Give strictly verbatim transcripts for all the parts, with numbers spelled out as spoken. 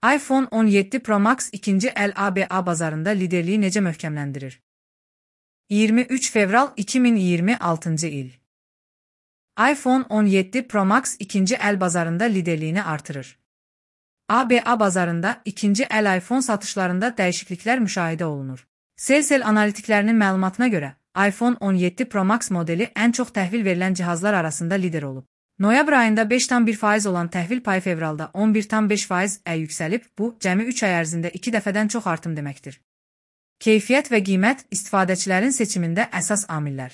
iPhone on yeddi Pro Max ikinci el A B A bazarında liderliyi necə möhkəmləndirir? iyirmi üç fevral iki min iyirmi altıncı il. iPhone on yeddi Pro Max ikinci el bazarında liderliyini artırır. A B A bazarında ikinci el iPhone satışlarında dəyişikliklər müşahidə olunur. Cellcel analitiklərinin məlumatına görə, iPhone on yeddi Pro Max modeli ən çox təhvil verilən cihazlar arasında lider olub. Noyabr ayında beş tam bir faiz olan təhvil payı fevralda on bir tam beş faizə yüksəlib, bu, cəmi üç ay ərzində iki dəfədən çox artım deməkdir. Keyfiyyət və qiymət istifadəçilərin seçimində əsas amillər.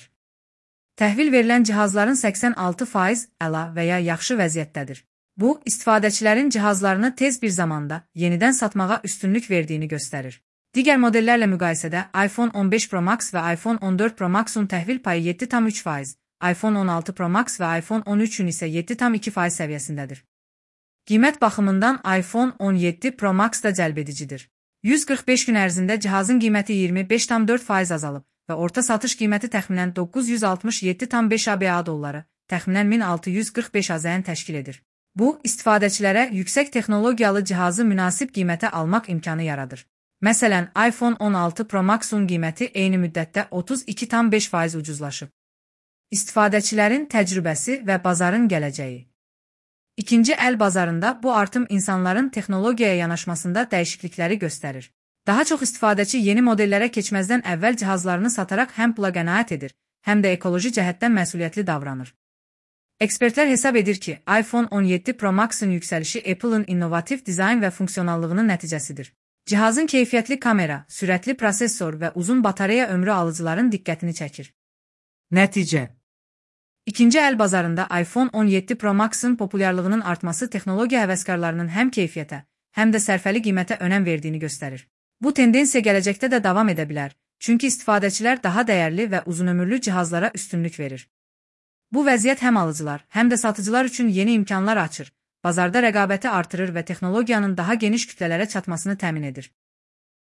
Təhvil verilən cihazların səksən altı faiz əla və ya yaxşı vəziyyətdədir. Bu, istifadəçilərin cihazlarını tez bir zamanda yenidən satmağa üstünlük verdiyini göstərir. Digər modellərlə müqayisədə iPhone on beş Pro Max və iPhone on dörd Pro Max'un təhvil payı yeddi tam üç faiz, iPhone on altı Pro Max və iPhone on üçün isə yeddi tam iki faiz səviyyəsindədir. Qiymət baxımından iPhone on yeddi Pro Max da cəlbedicidir. yüz qırx beş gün ərzində cihazın qiyməti iyirmi beş tam dörd faiz azalıb və orta satış qiyməti təxminən doqquz yüz altmış yeddi tam beş A B A dolları, təxminən min altı yüz qırx beş AZN təşkil edir. Bu, istifadəçilərə yüksək texnologiyalı cihazı münasib qiymətə almaq imkanı yaradır. Məsələn, iPhone on altı Pro Max'un qiyməti eyni müddətdə otuz iki tam beş faiz ucuzlaşıb. İstifadəçilərin təcrübəsi və bazarın gələcəyi. İkinci el bazarında bu artım insanların texnologiyaya yanaşmasında dəyişiklikləri göstərir. Daha çox istifadəçi yeni modellərə keçməzdən əvvəl cihazlarını sataraq həm pula qənaət edir, həm də ekoloji cəhətdən məsuliyyətli davranır. Ekspertlər hesab edir ki, iPhone on yeddi Pro Max'ın yüksəlişi Apple'ın innovativ dizayn və funksionallığının nəticəsidir. Cihazın keyfiyyətli kamera, sürətli prosesor və uzun batareya ömrü alıcıların diqqətini çəkir. Nəticə. İkinci el bazarında iPhone on yeddi Pro Max'ın populyarlığının artması texnologiya həvəskarlarının həm keyfiyyətə, həm də sərfəli qiymətə önəm verdiyini göstərir. Bu tendensiya gələcəkdə də davam edə bilər, çünki istifadəçilər daha dəyərli və uzunömürlü cihazlara üstünlük verir. Bu vəziyyət həm alıcılar, həm də satıcılar üçün yeni imkanlar açır, bazarda rəqabəti artırır və texnologiyanın daha geniş kütlələrə çatmasını təmin edir.